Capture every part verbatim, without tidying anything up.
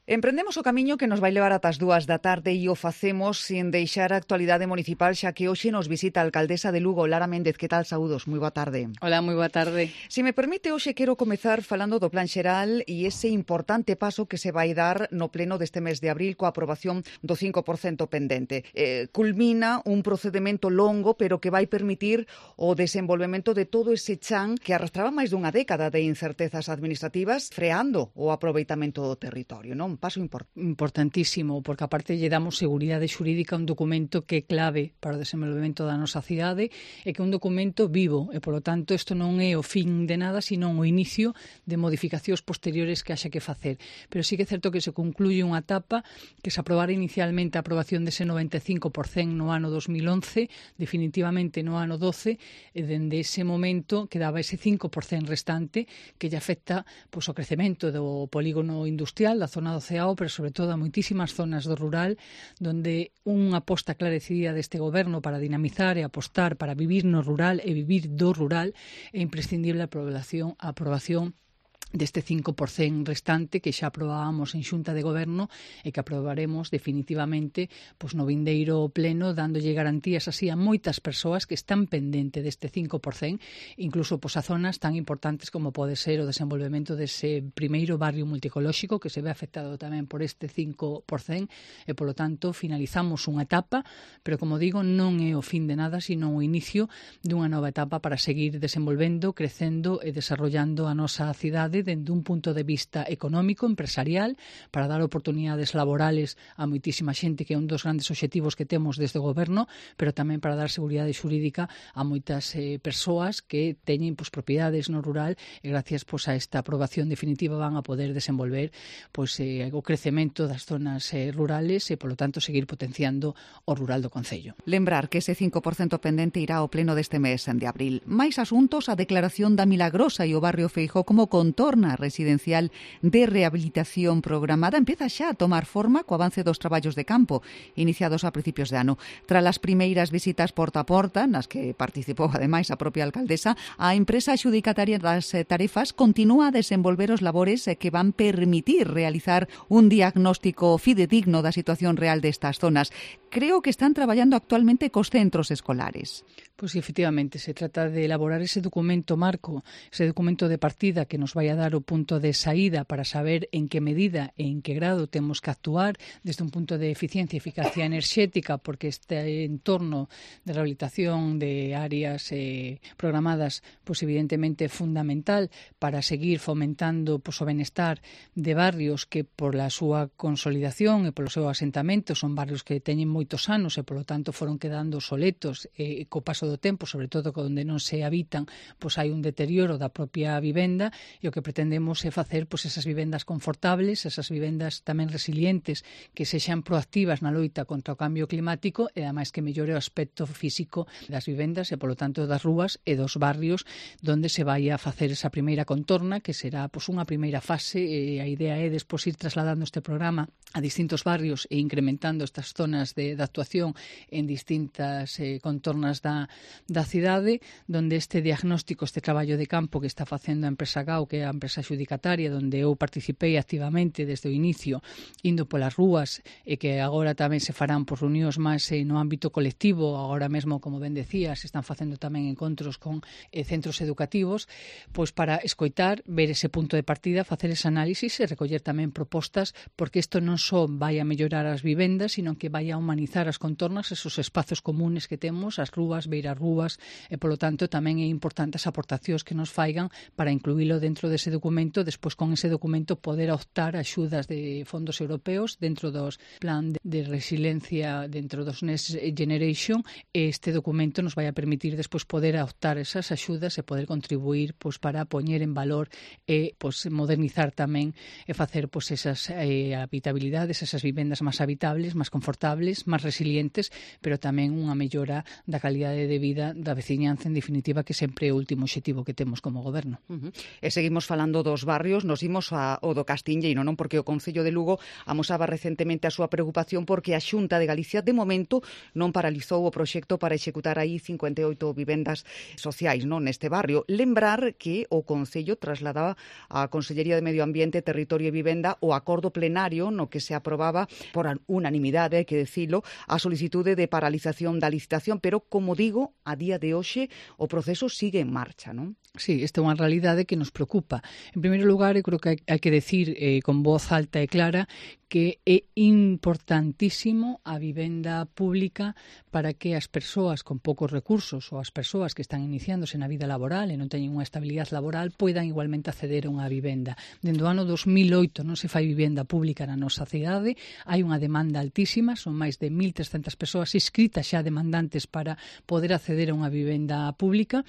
Emprendemos o camiño que nos vai levar ata as dúas da tarde e o facemos sin deixar a actualidade municipal, xa que hoxe nos visita a alcaldesa de Lugo, Lara Méndez. Que tal? Saúdos, moi boa tarde. Hola, moi boa tarde. Se me permite, hoxe quero comezar falando do Plan Xeral e ese importante paso que se vai dar no pleno deste mes de abril coa aprobación do cinco por cento pendente. Eh, culmina un procedimento longo, pero que vai permitir o desenvolvemento de todo ese chan que arrastraba máis dunha década de incertezas administrativas, freando o aproveitamento do territorio, non? Un paso importante. Importantísimo, porque aparte lle damos seguridade xurídica a un documento que é clave para o desenvolvemento da nosa cidade e que é un documento vivo e, polo tanto, isto non é o fin de nada, sino o inicio de modificacións posteriores que haxa que facer. Pero sí que é certo que se concluye unha etapa que se aprobara inicialmente a aprobación dese noventa e cinco por cento no ano dos mil once, definitivamente no ano doce, e dende ese momento quedaba ese cinco por cento restante que lle afecta pois, o crecemento do polígono industrial da zona do Ceao, pero sobre todo a moitísimas zonas do rural, donde unha aposta clara e decidida deste goberno para dinamizar e apostar para vivir no rural e vivir do rural é imprescindible a aprobación, a aprobación deste cinco por cento restante que xa aprobábamos en Xunta de Goberno e que aprobaremos definitivamente pois, no vindeiro pleno, dándolle garantías así a moitas persoas que están pendente deste cinco por cento, incluso pois, a zonas tan importantes como pode ser o desenvolvemento dese primeiro barrio multicolóxico que se ve afectado tamén por este cinco por cento e, polo tanto, finalizamos unha etapa, pero, como digo, non é o fin de nada, sino o inicio dunha nova etapa para seguir desenvolvendo, crecendo e desarrollando a nosa cidade dende un punto de vista económico, empresarial, para dar oportunidades laborales a moitísima xente, que é un dos grandes obxectivos que temos desde o goberno, pero tamén para dar seguridade xurídica a moitas eh, persoas que teñen pois, propiedades no rural e gracias pois, a esta aprobación definitiva van a poder desenvolver pois, eh, o crecemento das zonas eh, rurales e, polo tanto, seguir potenciando o rural do concello. Lembrar que ese cinco por cento pendente irá ao pleno deste mes de abril. Mais asuntos, a declaración da Milagrosa e o barrio Feijó como contorna residencial de rehabilitación programada empieza xa a tomar forma co avance dos traballos de campo iniciados a principios de ano. Tras as primeiras visitas porta a porta, nas que participou ademais a propia alcaldesa, a empresa adxudicataria das tarefas continúa a desenvolver os labores que van permitir realizar un diagnóstico fidedigno da situación real destas zonas. Creo que están traballando actualmente cos centros escolares. Pois pues, efectivamente, se trata de elaborar ese documento marco, ese documento de partida que nos vai a dar o punto de saída para saber en que medida e en que grado temos que actuar desde un punto de eficiencia e eficacia enerxética, porque este entorno de rehabilitación de áreas eh, programadas, pois evidentemente é fundamental para seguir fomentando pois, o benestar de barrios que por la súa consolidación e polo seu asentamento son barrios que teñen moitos anos e polo tanto foron quedando soletos e co paso do tempo, sobre todo onde non se habitan, pois hai un deterioro da propia vivenda e o que pretendemos é facer pois, esas vivendas confortables, esas vivendas tamén resilientes, que sexan proactivas na loita contra o cambio climático e ademais que mellore o aspecto físico das vivendas e polo tanto das rúas e dos barrios donde se vai a facer esa primeira contorna, que será pois, unha primeira fase e a idea é despois ir trasladando este programa a distintos barrios e incrementando estas zonas de, de actuación en distintas eh, contornas da, da cidade, donde este diagnóstico, este traballo de campo que está facendo a empresa G A U, que é a empresa xudicataria, donde eu participei activamente desde o inicio, indo polas rúas, e que agora tamén se farán por reunións máis eh, no ámbito colectivo, agora mesmo, como ben decía, se están facendo tamén encontros con eh, centros educativos, pois para escoitar, ver ese punto de partida, facer ese análisis e recoller tamén propostas, porque isto non só vai a mellorar as vivendas, sino que vai a humanizar as contornas, esos espazos comunes que temos, as rúas, beiras rúas, e polo tanto tamén é importante as aportacións que nos faigan para incluílo dentro dese documento, despois con ese documento poder optar a axudas de fondos europeos dentro dos plan de resiliencia dentro dos Next Generation, e este documento nos vai a permitir despois poder optar esas axudas e poder contribuir pois para poñer en valor e pois modernizar tamén e facer pois esas eh, habitabilidades, esas vivendas máis habitables, máis confortables, máis resilientes, pero tamén unha mellora da calidade de vida da veciñanza, en definitiva, que sempre é o último obxectivo que temos como goberno. Uh -huh. E seguimos falando dos barrios, nos imos ao do Castinheiro, non? Porque o Concello de Lugo amosaba recentemente a súa preocupación porque a Xunta de Galicia de momento non paralizou o proxecto para executar aí cincuenta e oito vivendas sociais, non, neste barrio. Lembrar que o Concello trasladaba á Consellería de Medio Ambiente, Territorio e Vivenda o acordo plenario no que se aprobaba por unanimidade, hai que decilo, a solicitude de paralización da licitación, pero, como digo, a día de hoxe o proceso sigue en marcha, non? Sí, esta é unha realidade que nos preocupa. En primeiro lugar, eu creo que hai, hai que decir eh, con voz alta e clara que é importantísimo a vivenda pública para que as persoas con poucos recursos ou as persoas que están iniciándose na vida laboral e non teñen unha estabilidade laboral poidan igualmente acceder a unha vivenda. Dende o ano dos mil oito non se fai vivenda pública na nosa cidade, hai unha demanda altísima, son máis de mil trescentas persoas inscritas xa demandantes para poder acceder a unha vivenda pública,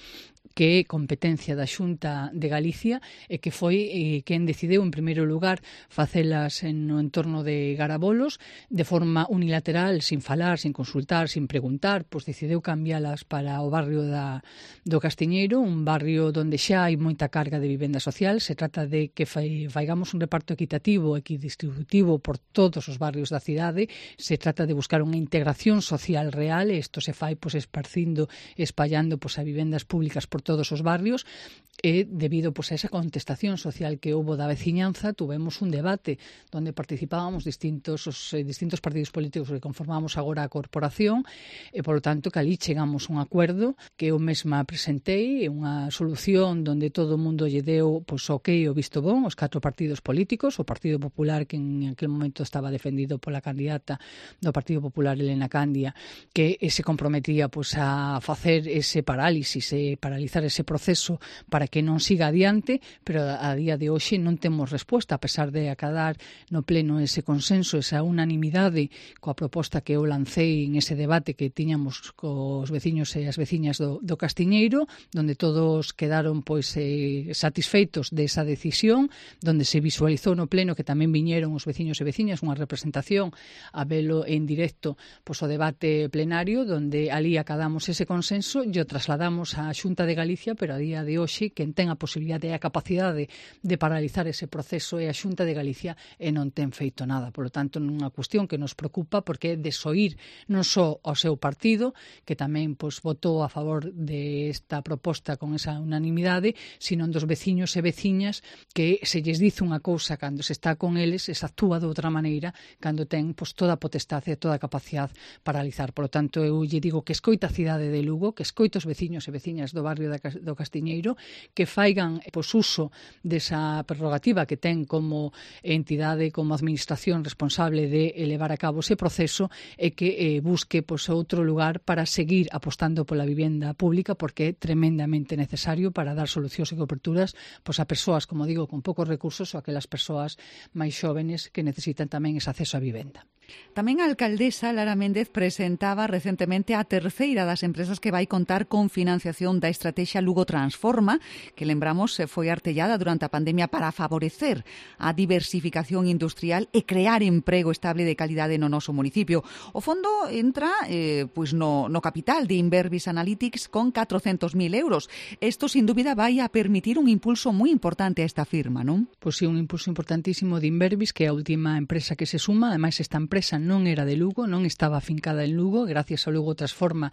que é competencia da Xunta de Galicia e que foi eh, quen decidiu en primeiro lugar facelas en, no entorno de Garabolos de forma unilateral, sin falar, sin consultar, sin preguntar, pois decidiu cambialas para o barrio da, do Castiñeiro, un barrio onde xa hai moita carga de vivenda social. Se trata de que fai, faigamos un reparto equitativo, equidistributivo por todos os barrios da cidade. Se trata de buscar unha integración social real e isto se fai pois esparcindo, espallando pois a vivendas públicas por todos os barrios e debido pois, a esa contestación social que houbo da veciñanza, tuvemos un debate onde participábamos distintos os eh, distintos partidos políticos que conformamos agora a corporación e, polo tanto, que ali chegamos a un acordo que eu mesma presentei, unha solución onde todo o mundo lle deu pois, o que o visto bon, os catro partidos políticos, o Partido Popular, que en aquel momento estaba defendido pola candidata do Partido Popular, Elena Candia, que se comprometía pois, a facer ese parálisis e paralizar ese proceso para que non siga adiante, pero a día de hoxe non temos resposta, a pesar de acadar no pleno ese consenso, esa unanimidade coa proposta que eu lancei en ese debate que tiñamos cos veciños e as veciñas do, do Castiñeiro, donde todos quedaron pois eh, satisfeitos desa decisión, donde se visualizou no pleno que tamén viñeron os veciños e veciñas, unha representación a velo en directo pois o debate plenario, donde ali acadamos ese consenso e o trasladamos á Xunta de Galicia, pero a día de hoxe quen ten a posibilidade e a capacidade de paralizar ese proceso é a Xunta de Galicia e non ten feito nada. Por lo tanto, unha cuestión que nos preocupa porque é desoír non só ao seu partido, que tamén pois, votou a favor desta proposta con esa unanimidade, sino dos veciños e veciñas que se lles dice unha cousa cando se está con eles e se actúa de outra maneira cando ten pois, toda a potestade e toda a capacidade para paralizar. Por lo tanto, eu lle digo que escoita a cidade de Lugo, que escoita os veciños e veciñas do barrio do Castiñeiro, que faigan pois, uso desa prerrogativa que ten como entidade, como administración responsable de elevar a cabo ese proceso e que eh, busque pois, outro lugar para seguir apostando pola vivenda pública porque é tremendamente necesario para dar solucións e coberturas pois, a persoas, como digo, con poucos recursos ou aquelas persoas máis xóvenes que necesitan tamén ese acceso á vivenda. Tamén a alcaldesa Lara Méndez presentaba recentemente a terceira das empresas que vai contar con financiación da estrategia Lugo Transforma, que lembramos foi artellada durante a pandemia para favorecer a diversificación industrial e crear emprego estable de calidade no noso municipio. O fondo entra eh, pois no, no capital de Inverbis Analytics con catrocentos mil euros. Isto, sin dúbida, vai a permitir un impulso moi importante a esta firma, non? Pois sí, un impulso importantísimo de Inverbis, que é a última empresa que se suma. Ademais, esta empresa non era de Lugo, non estaba afincada en Lugo, gracias ao Lugo Transforma,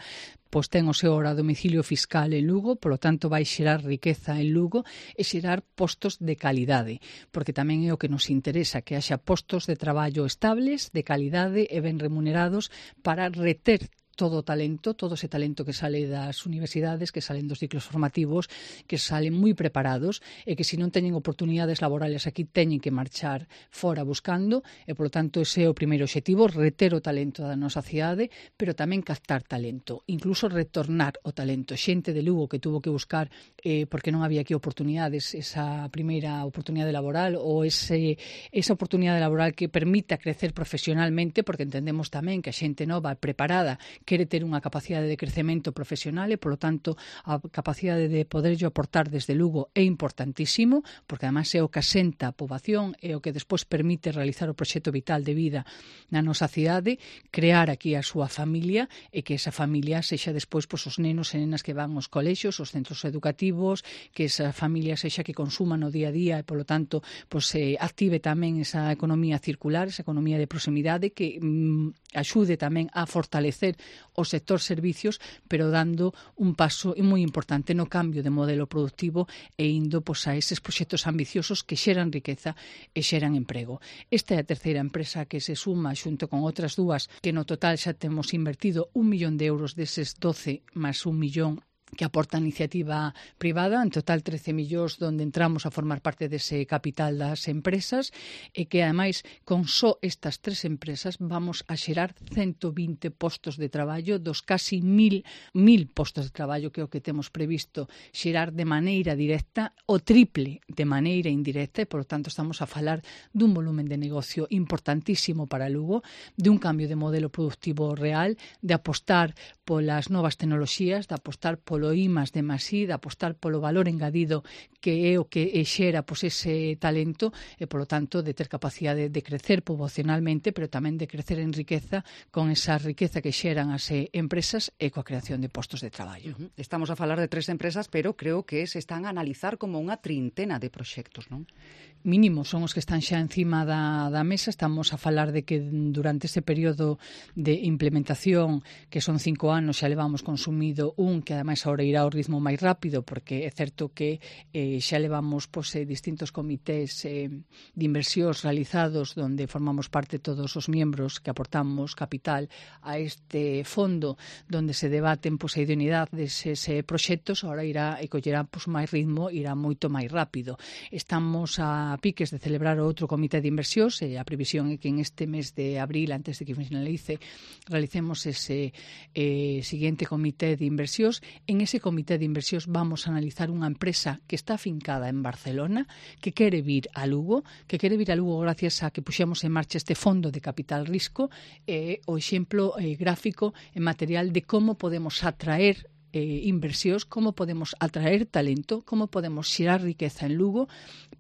pois ten o seu hora domicilio fiscal en Lugo, polo tanto vai xerar riqueza en Lugo e xerar postos de calidade, porque tamén é o que nos interesa, que haxa postos de traballo estables, de calidade e ben remunerados para reter todo o talento, todo ese talento que sale das universidades, que salen dos ciclos formativos, que salen moi preparados e que se non teñen oportunidades laborales aquí teñen que marchar fora buscando e, polo tanto, ese é o primeiro obxectivo, reter o talento da nosa cidade, pero tamén captar talento, incluso retornar o talento. Xente de Lugo que tuvo que buscar eh, porque non había aquí oportunidades, esa primeira oportunidade laboral ou ese, esa oportunidade laboral que permita crecer profesionalmente, porque entendemos tamén que a xente nova preparada quere ter unha capacidade de crecemento profesional e, polo tanto, a capacidade de poderlle aportar desde Lugo é importantísimo, porque además é o que asenta a poboación, é o que despois permite realizar o proxecto vital de vida na nosa cidade, crear aquí a súa familia e que esa familia sexa despois pois, os nenos e nenas que van aos colexios, aos centros educativos, que esa familia sexa que consuma no día a día e, polo tanto, pois, eh, active tamén esa economía circular, esa economía de proximidade que mm, axude tamén a fortalecer o sector servicios, pero dando un paso moi importante no cambio de modelo productivo e indo pois, a eses proxectos ambiciosos que xeran riqueza e xeran emprego. Esta é a terceira empresa que se suma xunto con outras dúas que no total xa temos invertido un millón de euros deses doce máis un millón que aporta a iniciativa privada, en total trece millóns donde entramos a formar parte dese capital das empresas e que, ademais, con só estas tres empresas vamos a xerar ciento vinte postos de traballo dos casi mil, mil postos de traballo que é o que temos previsto xerar de maneira directa o triple de maneira indirecta e, por tanto, estamos a falar dun volumen de negocio importantísimo para Lugo, de un cambio de modelo productivo real, de apostar polas novas tecnoloxías, de apostar polo I más de más I, de apostar polo valor engadido que é o que xera pois, ese talento e, polo tanto, de ter capacidade de crecer poboacionalmente, pero tamén de crecer en riqueza con esa riqueza que xeran as empresas e coa creación de postos de traballo. Uh-huh. Estamos a falar de tres empresas, pero creo que se están a analizar como unha trintena de proxectos, non? Mínimo son os que están xa encima da, da mesa. Estamos a falar de que durante ese período de implementación, que son cinco anos, xa levamos consumido un que ademais ahora irá ao ritmo máis rápido, porque é certo que eh, xa levamos pois, eh, distintos comités eh, de inversións realizados donde formamos parte todos os membros que aportamos capital a este fondo donde se debaten pois, a idoneidade deses eh, proxectos. Ahora irá e collerá pois, máis ritmo, irá moito máis rápido. Estamos a piques de celebrar outro comité de inversións e a previsión é que en este mes de abril, antes de que finalice, realicemos ese eh, siguiente comité de inversións. En ese comité de inversións vamos a analizar unha empresa que está afincada en Barcelona, que quere vir a Lugo, que quere vir a Lugo gracias a que puxemos en marcha este fondo de capital risco e eh, o exemplo eh, gráfico e material de como podemos atraer eh, inversións, como podemos atraer talento, como podemos xerar riqueza en Lugo,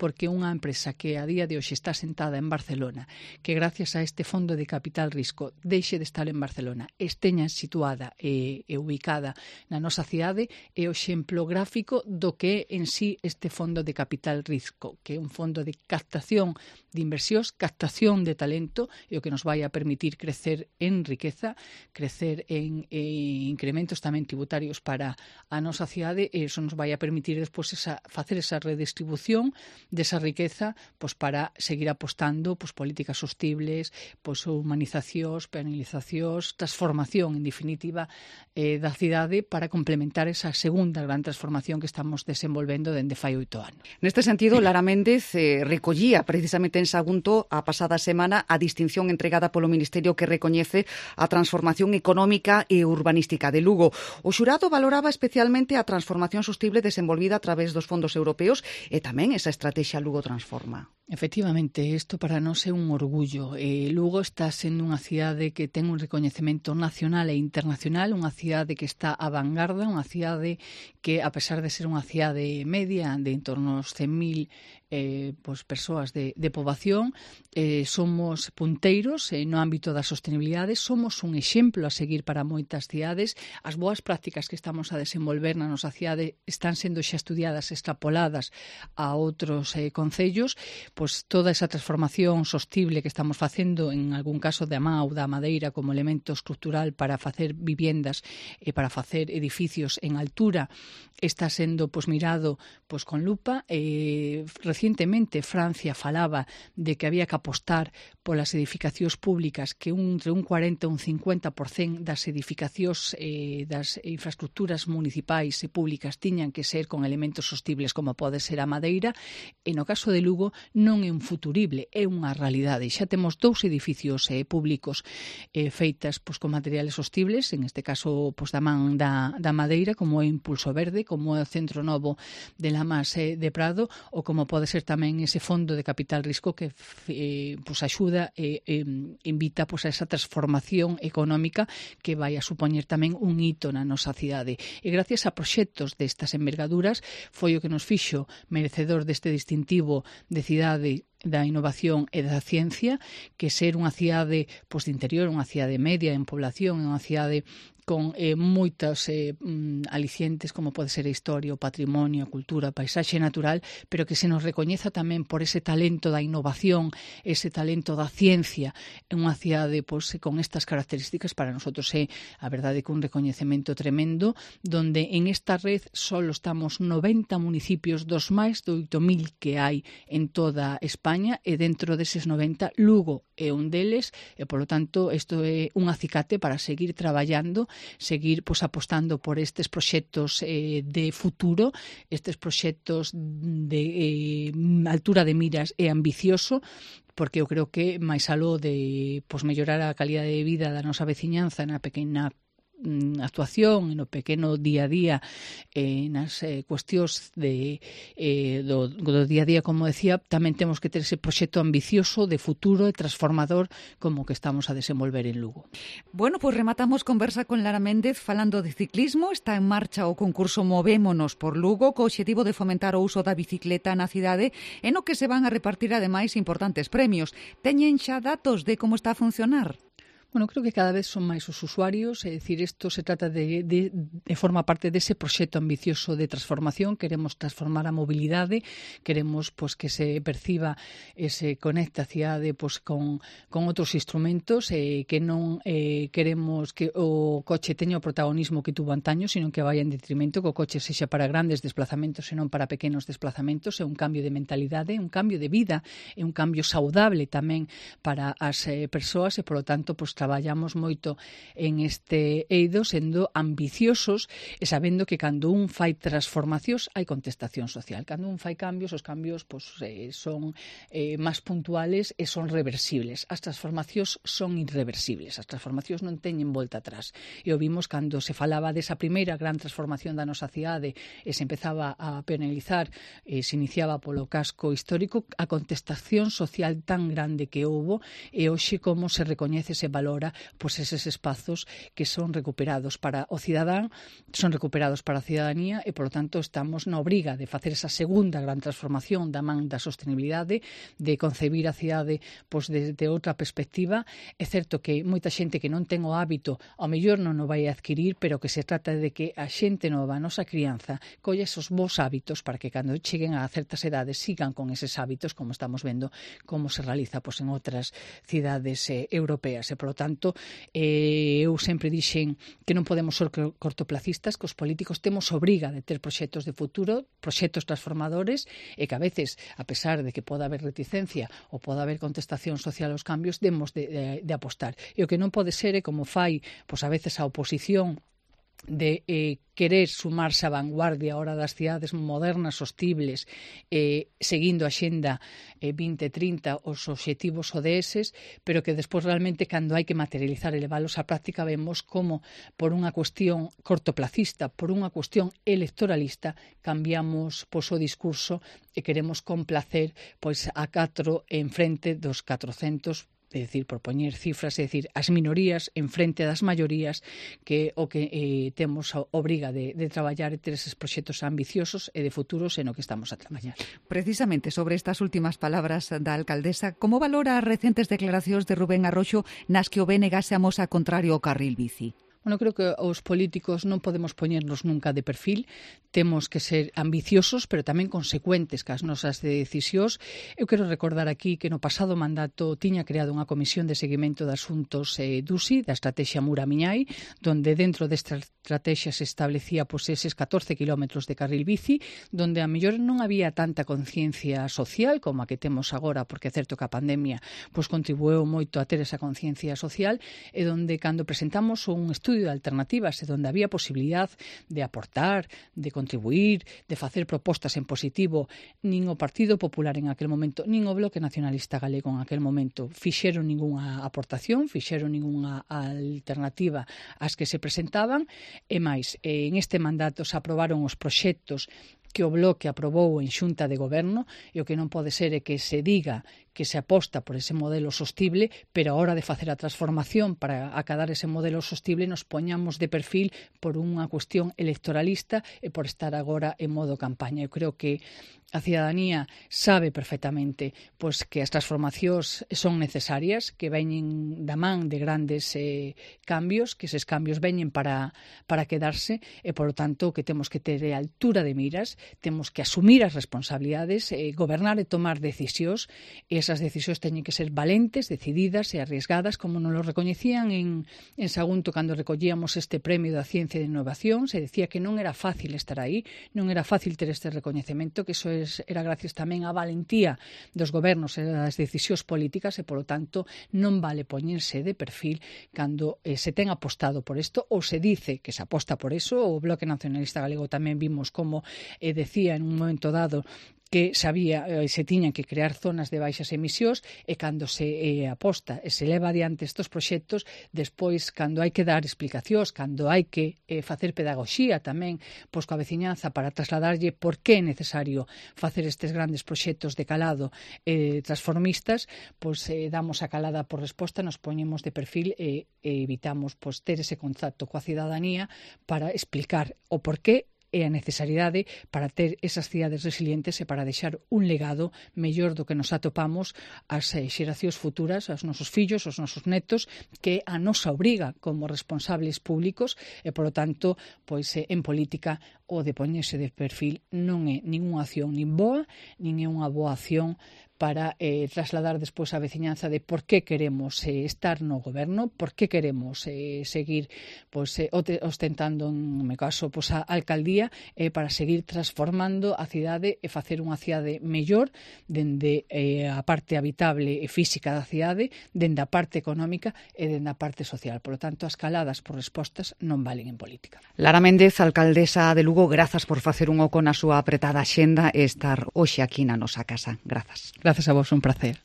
porque unha empresa que a día de hoxe está sentada en Barcelona, que gracias a este fondo de capital risco deixe de estar en Barcelona, esteña situada e, e ubicada na nosa cidade, é o exemplo gráfico do que é en sí este fondo de capital risco, que é un fondo de captación de inversións, captación de talento, e o que nos vai a permitir crecer en riqueza, crecer en, en incrementos tamén tributarios para a nosa cidade, e iso nos vai a permitir despois esa, facer esa redistribución desa riqueza pois para seguir apostando pois políticas sostibles, pois humanizacións, penalizacións, transformación en definitiva eh, da cidade para complementar esa segunda gran transformación que estamos desenvolvendo dende fai oito anos. Neste sentido, Lara Méndez eh, recollía precisamente en Sagunto a pasada semana a distinción entregada polo Ministerio que recoñece a transformación económica e urbanística de Lugo. O xurado valoraba especialmente a transformación sostible desenvolvida a través dos fondos europeos e tamén esa estrategia Lugo Transforma. Efectivamente, isto para nós é un orgullo. Eh, Lugo está sendo unha cidade que ten un recoñecemento nacional e internacional, unha cidade que está a vanguarda, unha cidade que, a pesar de ser unha cidade media, de en torno aos cen mil eh, pues, persoas de, de poboación, eh, somos punteiros eh, no ámbito da sostenibilidade, somos un exemplo a seguir para moitas cidades. As boas prácticas que estamos a desenvolver na nosa cidade están sendo xa estudiadas, extrapoladas a outros eh, concellos. Pois toda esa transformación sostible que estamos facendo, en algún caso da má ou da madeira como elemento estructural para facer viviendas e para facer edificios en altura, está sendo pois mirado pois con lupa. Eh, recientemente Francia falaba de que había que apostar polas edificacións públicas, que un, entre un cuarenta e un cincuenta por cento das edificacións eh, das infraestructuras municipais e públicas tiñan que ser con elementos sostibles como pode ser a madeira, e no caso de Lugo non é un futurible, é unha realidade. Xa temos dous edificios eh, públicos eh, feitas pois, con materiales sostibles, en este caso pois, da man da, da madeira, como é Impulso Verde, como é o Centro Novo de Lamas eh, de Prado, ou como pode pode ser tamén ese fondo de capital risco que eh, pues axuda e eh, eh, invita pues, a esa transformación económica que vai a supoñer tamén un hito na nosa cidade. E gracias a proxectos destas envergaduras foi o que nos fixo merecedor deste distintivo de cidade da innovación e da ciencia, que ser unha cidade pois, de interior, unha cidade media en población, unha cidade con eh, moitas eh, mm, alicientes como pode ser a historia, o patrimonio, a cultura, a paisaxe natural, pero que se nos recoñeza tamén por ese talento da innovación, ese talento da ciencia en unha cidade pois, con estas características. Para nosotros é a verdade que un recoñecemento tremendo, donde en esta red só estamos noventa municipios dos máis de oito mil que hai en toda España, e dentro deses noventa Lugo é un deles, e polo tanto isto é un acicate para seguir traballando, seguir pois, apostando por estes proxectos eh, de futuro, estes proxectos de eh, altura de miras e ambicioso, porque eu creo que máis aló de pois, mellorar a calidade de vida da nosa veciñanza na pequena actuación, no pequeno día a día, eh, nas eh, cuestións de, eh, do, do día a día, como decía, tamén temos que ter ese proxecto ambicioso de futuro e transformador como que estamos a desenvolver en Lugo. Bueno, pois pues rematamos conversa con Lara Méndez falando de ciclismo. Está en marcha o concurso Movémonos por Lugo, co obxectivo de fomentar o uso da bicicleta na cidade, e no que se van a repartir ademais importantes premios. Teñen xa datos de como está a funcionar? Bueno, creo que cada vez son máis os usuarios, é dicir, isto se trata de, de, de forma parte dese proxecto ambicioso de transformación. Queremos transformar a mobilidade, queremos pois, que se perciba e se conecte a cidade pois, con, con outros instrumentos, e que non eh, queremos que o coche teña o protagonismo que tuvo antaño, sino que vaya en detrimento, que o coche sexa para grandes desplazamentos e non para pequenos desplazamentos. É un cambio de mentalidade, un cambio de vida, é un cambio saudable tamén para as eh, persoas, e, polo tanto, pois, traballamos moito en este eido sendo ambiciosos e sabendo que cando un fai transformacións hai contestación social. Cando un fai cambios, os cambios pues, eh, son eh, máis puntuales e son reversibles. As transformacións son irreversibles. As transformacións non teñen volta atrás. E o vimos cando se falaba desa primeira gran transformación da nosa cidade e se empezaba a penalizar, e se iniciaba polo casco histórico, a contestación social tan grande que houbo, e hoxe como se recoñece ese valor, pois eses espazos que son recuperados para o cidadán, son recuperados para a cidadanía, e, polo tanto, estamos na obriga de facer esa segunda gran transformación da man da sostenibilidade, de concebir a cidade pois, desde outra perspectiva. É certo que moita xente que non ten o hábito, ao mellor non o vai adquirir, pero que se trata de que a xente nova, a nosa crianza, colle esos bons hábitos para que cando cheguen a certas edades sigan con eses hábitos, como estamos vendo como se realiza pois, en outras cidades eh, europeas. E, polo tanto, eh, eu sempre dixen que non podemos ser cortoplacistas, que os políticos temos obriga de ter proxectos de futuro, proxectos transformadores, e que a veces, a pesar de que poda haber reticencia ou poda haber contestación social aos cambios, demos de, de, de apostar. E o que non pode ser é como fai, pois a veces a oposición, de eh, querer sumarse á vanguardia ahora das cidades modernas, sostibles, eh, seguindo a xenda eh, vinte trinta, os obxectivos O D S, pero que despois realmente cando hai que materializar e leválos á práctica vemos como por unha cuestión cortoplacista, por unha cuestión electoralista, cambiamos pois, o discurso e queremos complacer pois, a catro en frente dos catrocentos, é dicir, por poñer cifras, é dicir, as minorías en frente das maiorías, que o que eh, temos a obriga de, de traballar e ter eses proxectos ambiciosos e de futuros en o que estamos a traballar. Precisamente sobre estas últimas palabras da alcaldesa, como valora as recentes declaracións de Rubén Arroxo nas que o B N G se amosa contrario ao carril bici? Bueno, creo que os políticos non podemos poñernos nunca de perfil, temos que ser ambiciosos, pero tamén consecuentes cas nosas decisións. Eu quero recordar aquí que no pasado mandato tiña creado unha comisión de seguimento de asuntos eh, D U S I, da estrategia Mura-Miñai, donde dentro desta estrategia se establecía pois, eses catorce kilómetros de carril bici, donde a mellor non había tanta conciencia social como a que temos agora, porque é certo que a pandemia pois, contribueu moito a ter esa conciencia social, e donde cando presentamos un estudio de alternativas e donde había posibilidad de aportar, de contribuir, de facer propostas en positivo, nin o Partido Popular en aquel momento, nin o Bloque Nacionalista Galego en aquel momento fixeron ningunha aportación, fixeron ningunha alternativa ás que se presentaban, e máis, en este mandato se aprobaron os proxectos que o Bloque aprobou en Xunta de Goberno, e o que non pode ser é que se diga que se aposta por ese modelo sostible, pero a hora de facer a transformación para acadar ese modelo sostible nos poñamos de perfil por unha cuestión electoralista e por estar agora en modo campaña. Eu creo que a cidadanía sabe perfectamente pois, que as transformacións son necesarias, que veñen da man de grandes eh, cambios, que eses cambios veñen para, para quedarse e, polo tanto, que temos que ter a altura de miras, temos que asumir as responsabilidades, eh, gobernar e tomar decisións, e esas decisións teñen que ser valentes, decididas e arriesgadas, como nos lo recoñecían en, en Sagunto cando recollíamos este premio da ciencia e de innovación. Se decía que non era fácil estar aí, non era fácil ter este recoñecemento, que iso era gracias tamén á valentía dos gobernos e das decisións políticas e, polo tanto, non vale poñerse de perfil cando eh, se ten apostado por isto ou se dice que se aposta por iso. O Bloque Nacionalista Galego tamén vimos como eh, decía en un momento dado que sabía, eh, se tiñan que crear zonas de baixas emisións e cando se eh, aposta e se leva adiante estes proxectos, despois, cando hai que dar explicacións, cando hai que eh, facer pedagogía tamén pois coa veciñanza para trasladarlle por que é necesario facer estes grandes proxectos de calado eh, transformistas, pois eh, damos a calada por resposta, nos poñemos de perfil e, e evitamos pois, ter ese contacto coa cidadanía para explicar o porqué e a necesariedade para ter esas cidades resilientes e para deixar un legado mellor do que nos atopamos as eh, xeracións futuras, aos nosos fillos, aos nosos netos, que a nosa obriga como responsables públicos e, polo tanto, pois eh, en política o de poñerse de perfil non é ninguna acción nin boa, nin é unha boa acción para eh, trasladar despois a veciñanza de por que queremos eh, estar no goberno, por que queremos eh, seguir pois, eh, ostentando, en meu caso, pois, a alcaldía, eh, para seguir transformando a cidade e facer unha cidade mellor dende eh, a parte habitable e física da cidade, dende a parte económica e dende a parte social. Por lo tanto, as caladas por respostas non valen en política. Lara Méndez, alcaldesa de Lugo, grazas por facer un oco na súa apretada axenda e estar hoxe aquí na nosa casa. Grazas. Grazas a vos, un placer.